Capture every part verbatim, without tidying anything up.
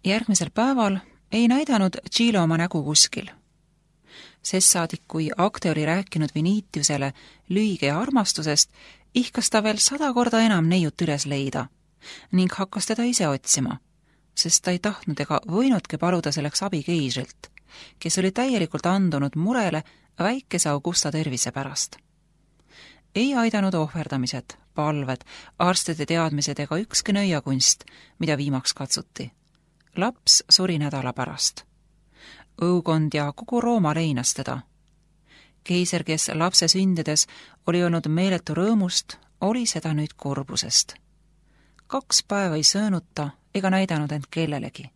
Järgmisel päeval ei näidanud Tšiilo oma nägu kuskil. Sest saadik, kui akte oli rääkinud Vinitiusele lüüge ja armastusest, ihkas ta veel sada korda enam neiut üles leida ning hakkas teda ise otsima, sest ta ei tahtnud ega võinudki paluda selleks abi keisrilt, kes oli täielikult andunud murele väikese Augusta tervise pärast. Ei aidanud ohverdamised, palved, arstide teadmised ega ükski nõiakunst, mida viimaks katsuti. Laps suri nädala pärast. Õukond ja kogu Rooma leinas teda. Keiser, kes lapse sündides oli olnud meeletu rõõmust, oli seda nüüd kurbusest. Kaks päeva ei söönud ta ega näidanud end kellelegi.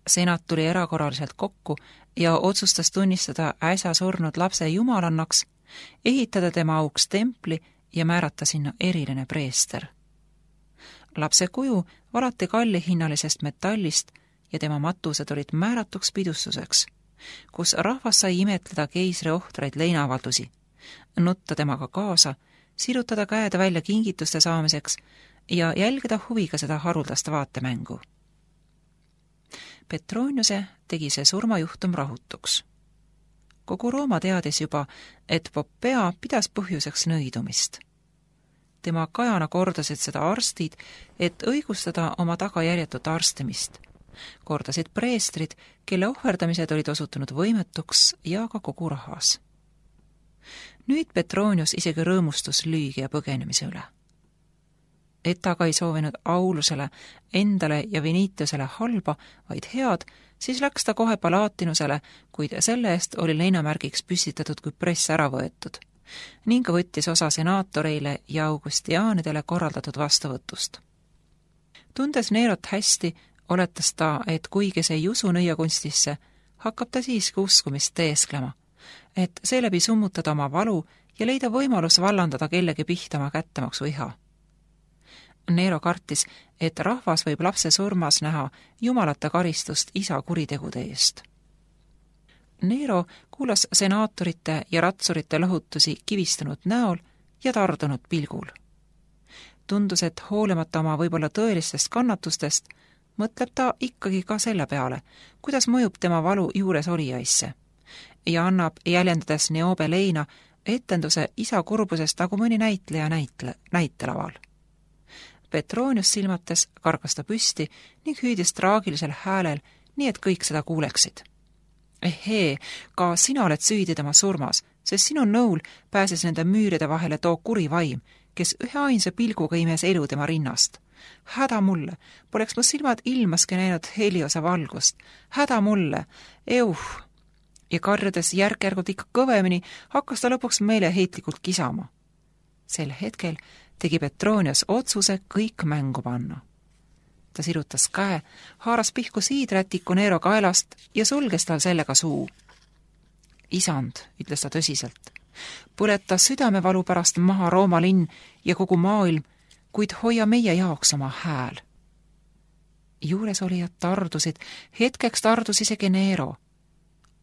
Senat tuli erakorraliselt kokku ja otsustas tunnistada äsja surnud lapse jumalannaks, ehitada tema auks templi ja määrata sinna eriline preester. Lapse kuju valati kallihinnalisest metallist ja tema matused olid määratuks pidustuseks, kus rahvas sai imetleda keisri ohtraid leinavaldusi, nutta temaga kaasa, sirutada käed välja kingituste saamiseks ja jälgida huviga seda haruldast vaatemängu. Petroniuse tegi see surmajuhtum rahutuks. Kogu Rooma teadis juba, et Poppea pidas põhjuseks nõidumist. Tema kajana kordasid seda arstid, et õigustada oma tagajärjetut arstimist. Kordasid preestrid, kelle ohverdamised olid osutunud võimetuks ja ka kogu rahvas. Nüüd Petronius isegi rõõmustus lüügi ja põgenemise üle. Et ta ka ei soovinud Aulusele, endale ja Vinitiusele halba, vaid head, siis läks ta kohe Palatinusele, kuid selle eest oli leinamärgiks püstitatud kui press ära võetud ning võttis osa senaatoreile ja augustiaanidele korraldatud vastuvõtust. Tundes Nerot hästi, oletas ta, et kuigi see ei usu nõiakunstisse, hakkab ta siiski uskumist teesklema, et seeläbi summutada oma valu ja leida võimalus vallandada kellegi pihta oma kättemaksu iha. Nero kartis, et rahvas võib lapse surmas näha jumalate karistust isa kuritegude eest. Nero kuulas senaatorite ja ratsurite lõhutusi kivistunud näol ja tardunud pilgul. Tundus, et hoolimata oma võib-olla tõelistest kannatustest, mõtleb ta ikkagi ka selle peale, kuidas mõjub tema valu juures olijaisse ja annab jäljendades Neobe leina etenduse isa kurbusest nagu mõni näitleja näitle, näitelaval. Petronius silmates kargas ta püsti ning hüüdis traagilisel häälel, nii et kõik seda kuuleksid. Ehee, ka sina oled süüdi tema surmas, sest sinu nõul pääses nende müüride vahele too kuri vaim, kes ühe ainsa pilguga imes elu tema rinnast. Häda mulle, poleks mu silmad ilmaski näinud Heliose valgust. Häda mulle, euh! Ja karjudes järk-järgult ikka kõvemini, hakkas ta lõpuks meeleheitlikult kisama. Sel hetkel tegi Petronius otsuse kõik mängu panna. Ta sirutas käe, haaras pihku siidrätiku Nero kaelast ja sulges tal sellega suu. Isand, ütles ta tõsiselt, põleta südamevalu pärast maha Rooma linn ja kogu maailm, kuid hoia meie jaoks oma hääl. Juures olijad tardusid, hetkeks tardus isegi Nero.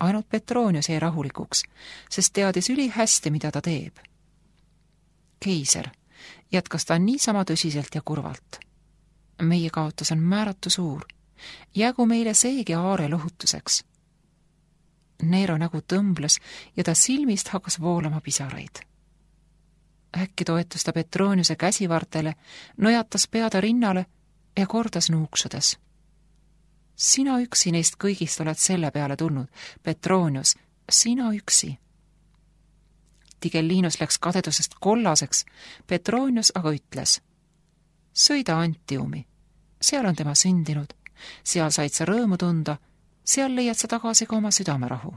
Ainult Petronius jäi rahulikuks, sest teadis üli hästi, mida ta teeb. Keiser, jätkas ta niisama tõsiselt ja kurvalt. Meie kaotus on määratu suur. Jäägu meile seegi aare lohutuseks. Nero nägu tõmbles ja ta silmist hakkas voolama pisaraid. Äkki toetus ta Petroniuse käsivartele, nojatas peada rinnale ja kordas nuuksudes. Sina üksi neist kõigist oled selle peale tulnud, Petronius, sina üksi. Tigellinus läks kadedusest kollaseks, Petronius aga ütles: sõida Antiumi, seal on tema sündinud, seal said sa rõõmu tunda, seal leiad sa tagasi ka oma südamerahu.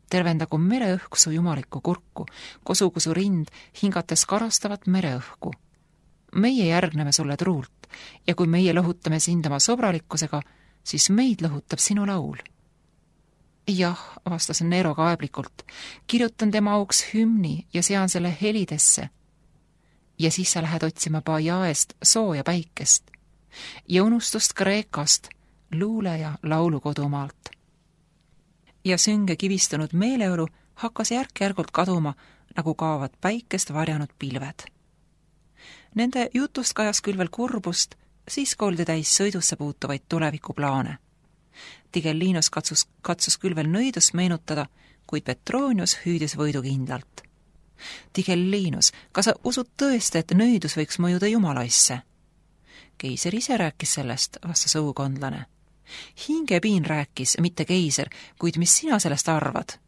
Tervendagu mereõhk su jumalikku kurku, kosugu su rind, hingates karastavat mereõhku. Meie järgneme sulle truult ja kui meie lõhutame sind oma sõbralikkusega, siis meid lõhutab sinu laul. Jah, vastas Nero kaeblikult, kirjutan tema auks hümni ja sean selle helidesse. Ja siis sa lähed otsima Bajaest sooja päikest ja unustust Kreekast, luule ja laulukodumaalt. Ja sünge kivistunud meeleolu hakkas järk-järgult kaduma, nagu kaovad päikest varjanud pilved. Nende jutust kajas küll veel kurbust, siis koldi täis sõidusse puutuvaid tulevikuplaane. Tigellinus katsus, katsus küll veel nõidust meenutada, kuid Petronius hüüdis võidukindlalt. Tigellinus, kas sa usud tõesti, et nõidus võiks mõjuda jumalaisse? Keiser ise rääkis sellest, vastas õukondlane. Hingepiin rääkis, mitte keiser, kuid mis sina sellest arvad?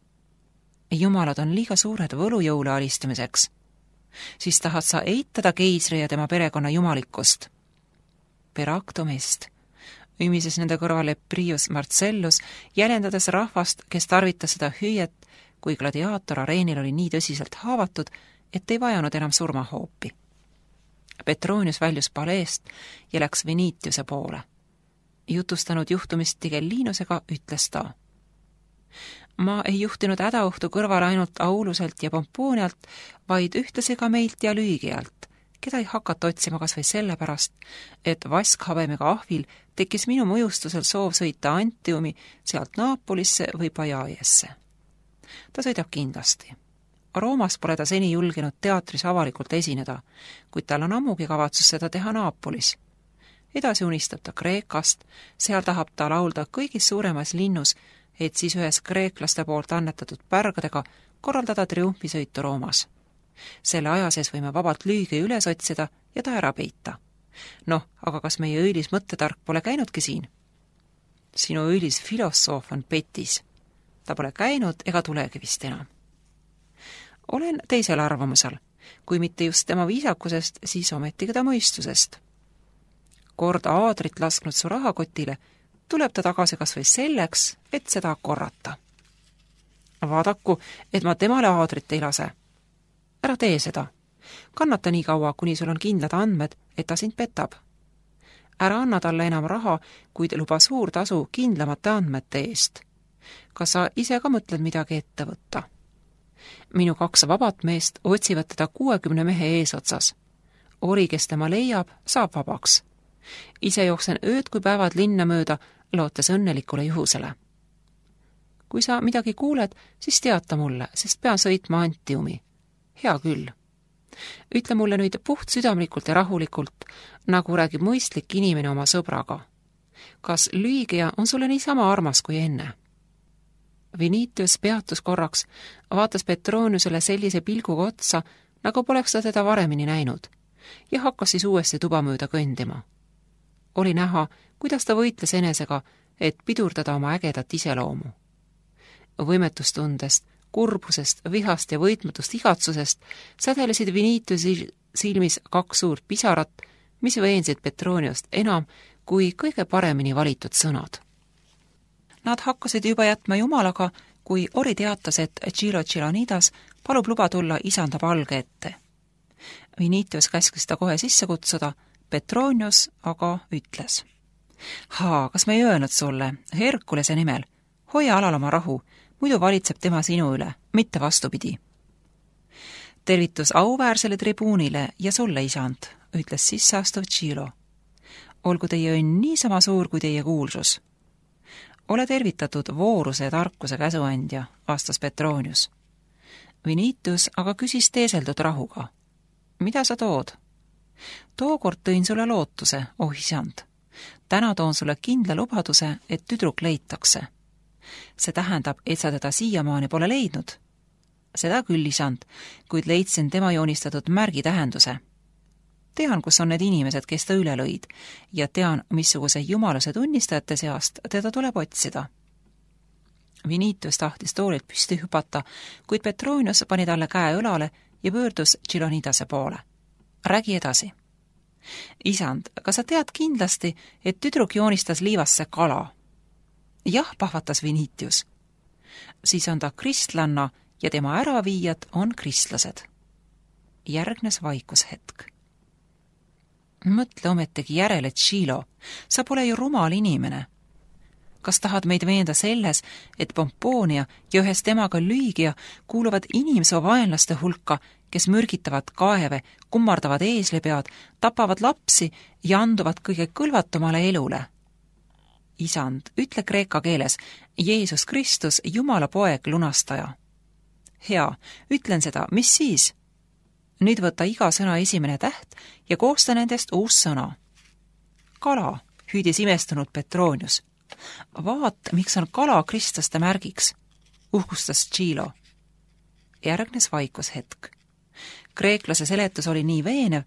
Jumalad on liiga suured võlujõule alistamiseks. Siis tahad sa eitada keisri ja tema perekonna jumalikkust. Peractomest, ümises nende kõrvale Prius Marcellus, jäljendades rahvast, kes tarvitas seda hüüet, kui gladiaator areenil oli nii tõsiselt haavatud, et ei vajanud enam surmahoopi. Petronius väljus paleest ja läks Venitiuse poole. Jutustanud juhtumist Tigellinusega ütles ta. Ma ei juhtinud hädaohtu kõrvale ainult Auluselt ja Pompoonialt, vaid ühtlasi ka meilt ja Lüügialt, keda ei hakata otsima kas või sellepärast, et vaskhabemega ahvil tekkis minu mõjustusel soov sõita Antiumi sealt Naapolisse või Pajaiesse. Ta sõidab kindlasti. Roomas pole ta seni julgenud teatris avalikult esineda, kuid tal on ammugi kavatsus seda teha Naapolis. Edasi unistab ta Kreekast, seal tahab ta laulda kõigis suuremas linnus, et siis ühes kreeklaste poolt annetatud pärgadega korraldada triumfisõitu Roomas. Selle aja sees võime vabalt Lüügi üles otsida ja ta ära peita. Noh, aga kas meie õilis mõttetark pole käinudki siin? Sinu õilis filosoof on petis. Ta pole käinud ega tulegi vist enam. Olen teisel arvamusel, kui mitte just tema viisakusest, siis ometigi ta mõistusest. Kord aadrit lasknud su rahakotile, tuleb ta tagasi kas või selleks, et seda korrata. Vaadaku, et ma temale aadrit ei lase. Ära tee seda. Kannata nii kaua, kuni sul on kindlad andmed, et ta sind petab. Ära anna talle enam raha, kuid luba suur tasu kindlamate andmete eest. Kas sa ise ka mõtled midagi ette võtta? Minu kaks vabat meest otsivad teda kuuekümne mehe eesotsas. Ori, kes tema leiab, saab vabaks. Ise jooksen ööd kui päevad linna mööda, lootes õnnelikule juhusele. Kui sa midagi kuuled, siis teata mulle, sest pean sõitma Antiumi. Hea küll. Ütle mulle nüüd puht südamlikult ja rahulikult, nagu räägib mõistlik inimene oma sõbraga. Kas Lüügia on sulle niisama armas kui enne? Venitius peatus korraks, vaatas Petroniusele sellise pilguga otsa, nagu poleks ta teda varemini näinud, ja hakkas siis uuesti tuba mööda kõndima. Oli näha, kuidas ta võitles enesega, et pidurdada oma ägedat iseloomu. Võimetustundest, kurbusest, vihast ja võitmatust igatsusest sädelesid Venitiusi silmis kaks suurt pisarat, mis veensid Petroniust enam kui kõige paremini valitud sõnad. Nad hakkasid juba jätma jumalaga, kui Ori teatas, et Giro Gilonidas palub luba tulla isanda palge ette. Venitius käskis ta kohe sisse kutsuda, Petronius aga ütles. Haa, kas me ei öelnud sulle, Herkulese nimel, hoia alal oma rahu, muidu valitseb tema sinu üle, mitte vastupidi. Tervitus auväärsele tribuunile ja sulle, isand, ütles sisseastuv Giro. Olgu teie õnn niisama suur kui teie kuulsus. Ole tervitatud vooruse ja tarkuse käsuandja, vastas Petronius. Venitius aga küsis teeseldud rahuga. Mida sa tood? Tookord tõin sulle lootuse, oh isand. Täna toon sulle kindla lubaduse, et tüdruk leitakse. See tähendab, et sa teda siiamaani pole leidnud. Seda küll, isand, kuid leidsin tema joonistatud märgi tähenduse. Tean, kus on need inimesed, kes ta üle lõid, ja tean, missuguse jumaluse tunnistajate seast teda tuleb otsida. Venitius tahtis toolilt püsti hüpata, kuid Petronius pani talle käe õlale ja pöördus Gilonidase poole. Räägi edasi. Isand, kas sa tead kindlasti, et tüdruk joonistas liivasse kala? Jah, pahvatas Venitius. Siis on ta kristlanna ja tema äraviijad on kristlased. Järgnes vaikushetk. Mõtle ometegi järele, Gilo, sa pole ju rumal inimene. Kas tahad meid veenda selles, et Pompoonia ja ühes temaga Lüügia kuuluvad inimsoo vaenlaste hulka, kes mürgitavad kaeve, kummardavad eeslipead, tapavad lapsi ja anduvad kõige kõlvatumale elule? Isand, ütle kreeka keeles, Jeesus Kristus, Jumala poeg, lunastaja. Hea, ütlen seda, mis siis? Nüüd võta iga sõna esimene täht ja koosta nendest uus sõna. kala, hüüdis imestunud Petronius. Vaat, miks on kala kristlaste märgiks, uhkustas Tšilo. Järgnes vaikus hetk. Kreeklase seletus oli nii veenev,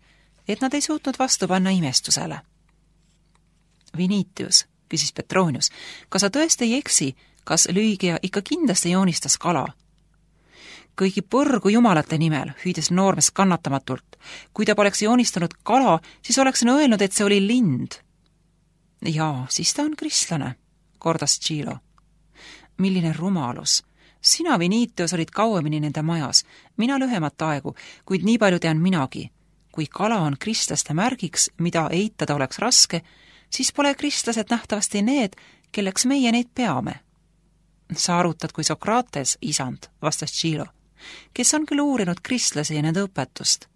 et nad ei suutnud vastu panna imestusele. Vinitius, küsis Petronius, kas sa tõesti ei eksi, kas Lüügia ikka kindlasti joonistas kala? Kõigi põrgu jumalate nimel, hüüdis noormees kannatamatult. Kui ta poleks joonistanud kala, siis oleksin öelnud, et see oli lind. Jaa, siis ta on kristlane, kordas Tšilo. Milline rumalus. Sina, Vinitius, olid kauemini nende majas, mina lühemat aegu, kuid nii palju tean minagi. Kui kala on kristlaste märgiks, mida eitada oleks raske, siis pole kristlased nähtavasti need, kelleks meie neid peame. Sa arutad kui Sokrates, isand, vastas Tšilo, kes on küll uurinud kristlasi ja nende õpetust.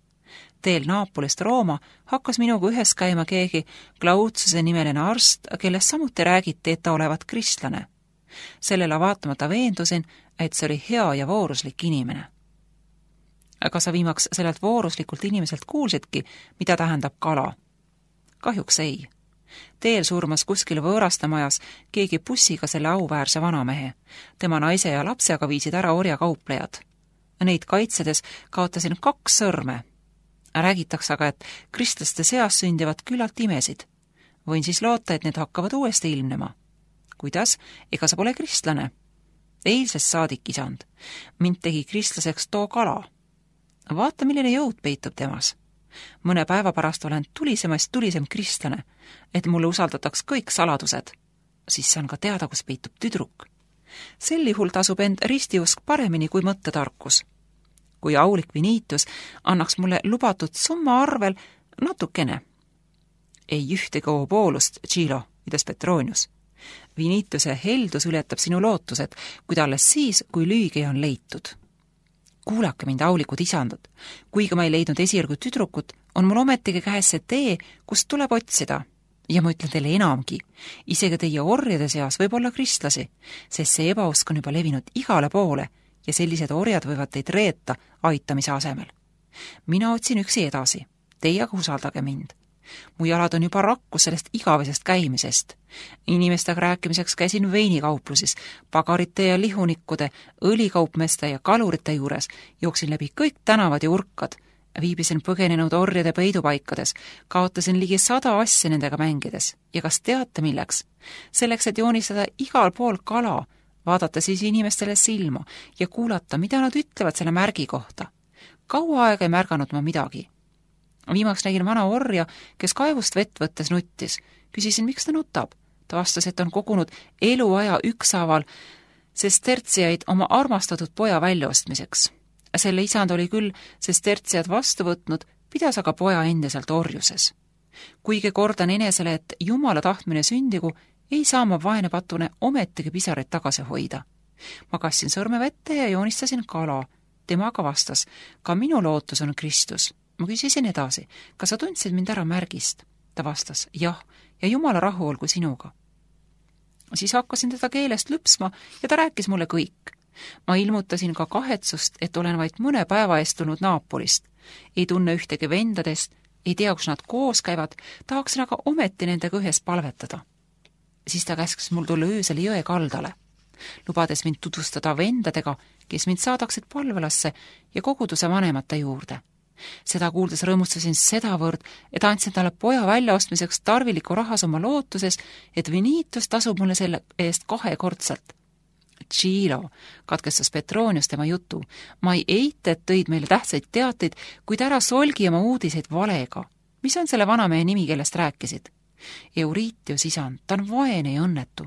Teel Naapolist Rooma hakkas minuga ühes käima keegi Glautsuse nimeline arst, kellest samuti räägiti, et ta olevat kristlane. Sellele vaatamata veendusin, et see oli hea ja vooruslik inimene. Aga sa viimaks sellelt vooruslikult inimeselt kuulsidki, mida tähendab kala? Kahjuks ei. Teel surmas kuskil võõrastamajas keegi bussiga selle auväärse vanamehe. Tema naise ja lapse aga viisid ära orjakauplejad. Neid kaitsedes kaotasin kaks sõrme. Räägitakse aga, et kristlaste seas sündivad küllalt imesid. Võin siis loota, et need hakkavad uuesti ilmnema. Kuidas? Ega sa pole kristlane? Eilsest saadik, isand. Mind tegi kristlaseks too kala. Vaata, milline jõud peitub temas. Mõne päeva pärast olen tulisemast tulisem kristlane, et mulle usaldataks kõik saladused. Siis saan ka teada, kus peitub tüdruk. Sel juhul tasub end ristiusk paremini kui mõttetarkus. Kui aulik Vinitius annaks mulle lubatud summa arvel natukene. Ei ühtegi oboolust, Tšilo, pidas Petronius. Vinitiuse heldus ületab sinu lootused, kuid alles siis, kui Lüügia on leitud. Kuulake mind, aulikud isandud. Kuigi ma ei leidnud esirgu tüdrukut, on mul ometigi käes see tee, kust tuleb otsida. Ja ma ütlen teile enamgi, isegi teie orjade seas võib olla kristlasi, sest see ebausk on juba levinud igale poole ja sellised orjad võivad teid reeta aitamise asemel. Mina otsin üksi edasi, teie aga usaldage mind. Mu jalad on juba rakkus sellest igavesest käimisest. Inimestega rääkimiseks käisin veinikauplusis, pagarite ja lihunikkude, õlikaupmeste ja kalurite juures, jooksin läbi kõik tänavad ja urkad, viibisin põgenenud orjade peidupaikades, kaotasin ligi sada asja nendega mängides. Ja kas teate milleks? Selleks, et joonistada igal pool kala, vaadata siis inimestele silma ja kuulata, mida nad ütlevad selle märgi kohta. Kaua aega ei märganud ma midagi. Viimaks nägin vana orja, kes kaevust vett võttes nuttis. Küsisin, miks ta nutab. Ta vastas, et on kogunud eluaja ükshaaval sestertsiaid oma armastatud poja väljaostmiseks. Selle isand oli küll sestertsiad vastu võtnud, pidas aga poja endiselt orjuses. Kuigi kordan enesele, et Jumala tahtmine sündigu, ei saa ma vaene patune ometigi pisareid tagasi hoida. Ma kassin sõrme vette ja joonistasin kala. Tema aga vastas, ka minu lootus on Kristus. Ma küsisin edasi, kas sa tundsid mind ära märgist? Ta vastas, jah, ja Jumala rahu olgu sinuga. Siis hakkasin teda keelest lüpsma ja ta rääkis mulle kõik. Ma ilmutasin ka kahetsust, et olen vaid mõne päeva eest tulnud Naapolist. Ei tunne ühtegi vendadest, ei tea, kus nad koos käivad, tahaksin aga ometi nendega ühes palvetada. Siis ta käskis mul tulla öösel jõe kaldale, lubades mind tutvustada vendadega, kes mind saadaksid palvelasse ja koguduse vanemate juurde. Seda kuuldes rõõmustasin sedavõrd, et andsin talle poja väljaostmiseks tarviliku rahas oma lootuses, et Vinitius tasub mulle selle eest kahekordselt. Tšilo, katkestas Petronius tema jutu. Ma ei eita, et tõid meile tähtsaid teateid, kuid ära solgi oma uudiseid valega. Mis on selle vanamehe nimi, kellest rääkisid? Euritius, isand, ta on vaene ja õnnetu.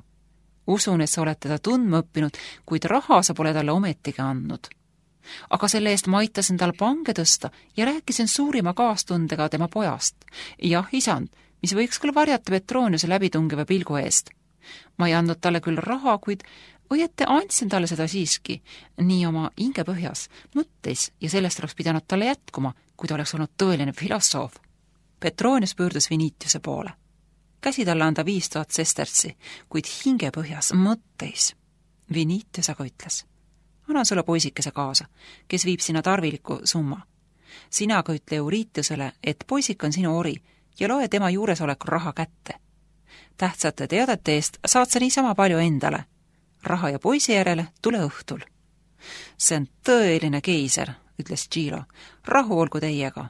Usun, et sa oled teda tundma õppinud, kuid raha sa pole talle ometigi andnud. Aga selle eest ma aitasin tal pange tõsta ja rääkisin suurima kaastundega tema pojast. Jah, isand, mis võiks küll varjata Petroniuse läbitungiva pilgu eest. Ma ei andnud talle küll raha, kuid õieti andsin talle seda siiski, nii oma hingepõhjas, mõtteis ja sellest oleks pidanud talle jätkuma, kui ta oleks olnud tõeline filosoof. Petronius pöördus Vinitiuse poole. Käsi talle anda viis tuhat sestertsi, kuid hingepõhjas, mõtteis. Vinitius aga ütles, annan sulle poisikese kaasa, kes viib sinna tarviliku summa. Sina aga ütle Euritiusele, et poisik on sinu ori ja loe tema juuresolekul raha kätte. Tähtsate teadete eest saad sa niisama palju endale. Raha ja poisi järele tule õhtul. See on tõeline keiser, ütles Gilo. Rahu olgu teiega.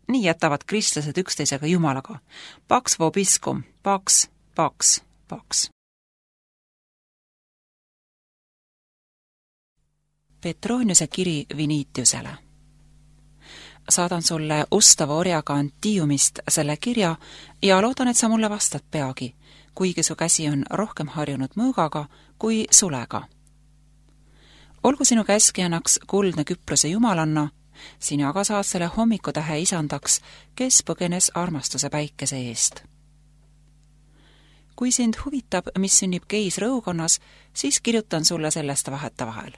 Nii jätavad kristlased üksteisega jumalaga. Pax vobiscum, pax, pax, pax. Petroniuse kiri Vinitiusele. Saadan sulle ustava orjaga Antiumist selle kirja ja loodan, et sa mulle vastad peagi, kuigi su käsi on rohkem harjunud mõõgaga kui sulega. Olgu sinu käskijannaks kuldne Küprose jumalanna, sina aga saad selle hommikutähe isandaks, kes põgenes armastuse päikese eest. Kui sind huvitab, mis sünnib keisrõukonnas, siis kirjutan sulle sellest vaheta vahel.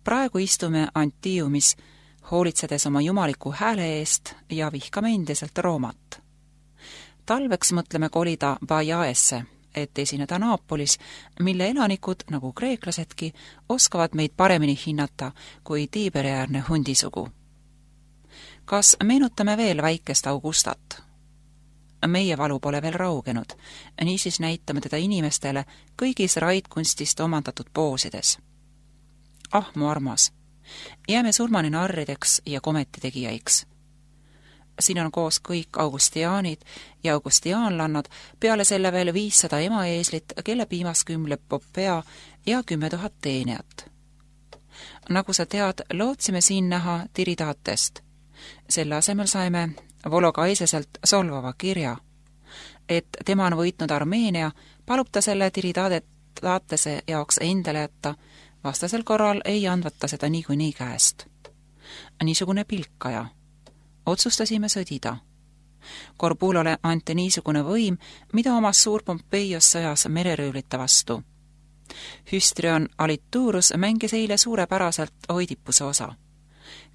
Praegu istume Antiumis, hoolitsedes oma jumaliku hääle eest ja vihkame endiselt Roomat. Talveks mõtleme kolida Bajaesse, et esineda Naapolis, mille elanikud, nagu kreeklasedki, oskavad meid paremini hinnata kui Tiiberiäärne hundisugu. Kas meenutame veel väikest Augustat? Meie valu pole veel raugenud, niisiis näitame teda inimestele kõigis raidkunstist omandatud poosides. Ah, mu armas, jääme surmani narrideks ja kometitegijaiksi. Siin on koos kõik augustiaanid ja augustiaanlannad, peale selle veel viissada emaeeslit, kelle piimas kümleb Popea ja kümme tuhat teenijat. Nagu sa tead, lootsime siin näha Tiridatest. Selle asemel saime Vologaiseselt solvava kirja. Et tema on võitnud Armeenia, palub ta selle Tiridatese jaoks endale jätta, vastasel korral ei andvata seda niikuinii käest. Niisugune pilkaja. Otsustasime sõdida. Korbulole anti niisugune võim, mida omas suur Pompeios sõjas mereröövlite vastu. Hüstrion Alituurus mängis eile suurepäraselt Oidipuse osa.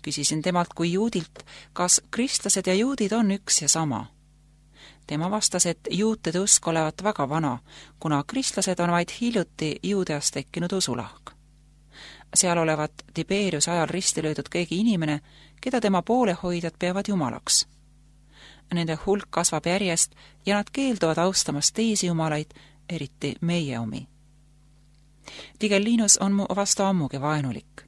Küsisin temalt kui juudilt, kas kristlased ja juudid on üks ja sama. Tema vastas, et juutide usk olevat väga vana, kuna kristlased on vaid hiljuti Juudeast tekkinud usulahk. Seal olevat Tiberius ajal risti löödud keegi inimene, keda tema poolehoidjad peavad jumalaks. Nende hulk kasvab järjest ja nad keelduvad austamast teisi jumalaid, eriti meie omi. Tigellinus on mu vastu ammugi vaenulik.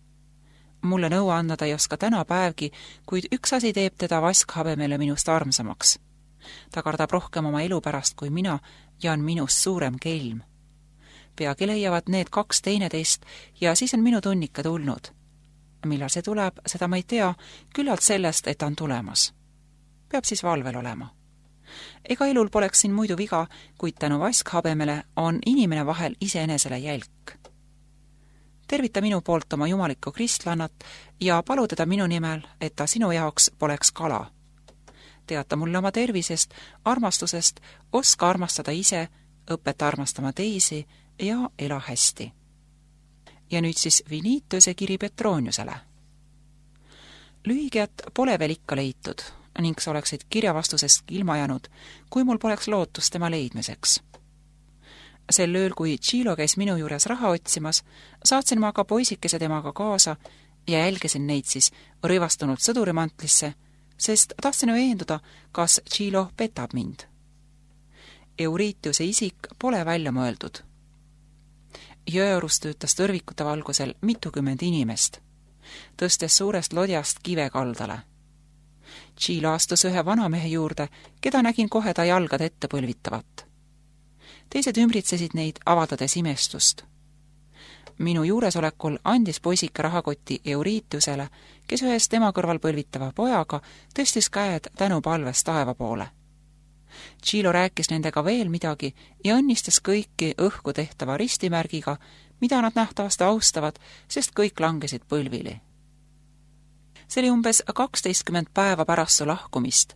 Mulle nõu anda ta ei oska täna päevgi, kuid üks asi teeb teda vaskhabemele minust armsamaks. Ta kardab rohkem oma elu pärast kui mina ja on minust suurem kelm. Peagi leiavad need kaks teineteist ja siis on minu tunnika tulnud. Millal see tuleb, seda ma ei tea, küllalt sellest, et ta on tulemas. Peab siis valvel olema. Ega elul poleks siin muidu viga, kuid tänu vaskhabemele on inimene vahel iseenesele jälk. Tervita minu poolt oma jumalikku kristlannat ja palu teda minu nimel, et ta sinu jaoks poleks kala. Teata mulle oma tervisest, armastusest, oska armastada ise, õpeta armastama teisi ja ela hästi. Ja nüüd siis Vinitiuse kiri Petroniusele. Lühigiat pole veel ikka leitud ning sa oleksid kirjavastusest ilma jäänud, kui mul poleks lootust tema leidmiseks. Sel ööl, kui Gilo käis minu juures raha otsimas, saatsin ma ka poisikese temaga kaasa ja jälgisin neid siis rõivastunud sõdurimantlisse, sest tahtsin veenduda, kas Gilo petab mind. Euritiuse isik pole välja mõeldud. Jõeorus töötas tõrvikute valgusel mitukümmend inimest, tõstes suurest lodjast kive kaldale. Gilo astus ühe vanamehe juurde, keda nägin kohe ta jalgad ette põlvitavat. Teised ümbritsesid neid, avaldades imestust. Minu juuresolekul andis poisike rahakoti Euritiusele, kes ühes tema kõrval põlvitava pojaga tõstis käed tänupalves taeva poole. Gilo rääkis nendega veel midagi ja õnnistas kõiki õhku tehtava ristimärgiga, mida nad nähtavasti austavad, sest kõik langesid põlvili. See oli umbes kaksteistkümmend päeva pärast su lahkumist.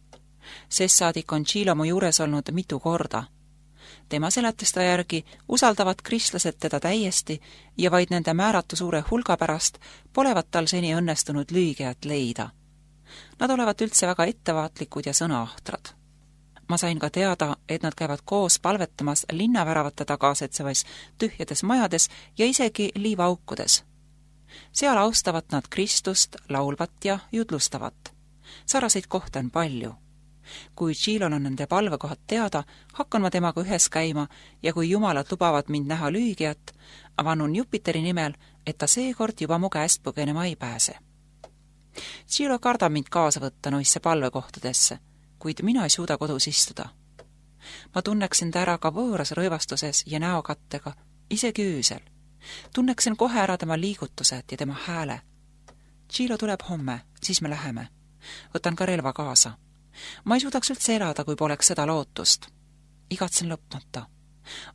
Sest saadik on Gilo mu juures olnud mitu korda. Tema seletista järgi usaldavad kristlased teda täiesti ja vaid nende määratu suure hulga pärast polevat tal seni õnnestunud lüügiat leida. Nad olevat üldse väga ettevaatlikud ja sõnaahtrad. Ma sain ka teada, et nad käivad koos palvetamas linnaväravate tagasetsevais tühjades majades ja isegi liivaaukudes. Seal austavad nad Kristust, laulvat ja jutlustavat. Saraseid kohta on palju. Kui Tšilol on nende palvekohad teada, hakkan ma temaga ühes käima ja kui jumalad lubavad mind näha lüügijat, vannun Jupiteri nimel, et ta seekord juba mu käest põgenema ei pääse. Tšilo kardab mind kaasa võtta noisse palvekohtadesse, kuid mina ei suuda kodus istuda. Ma tunneksin ta ära ka võõras rõivastuses ja näokattega, isegi öösel. Tunneksin kohe ära tema liigutused ja tema hääle. Tšilo tuleb homme, siis me läheme. Võtan ka relva kaasa. Ma ei suudaks üldse elada, kui poleks seda lootust. Igatsen lõpmata.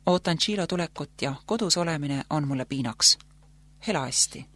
Ootan Tšilo tulekut ja kodus olemine on mulle piinaks. Hela hästi!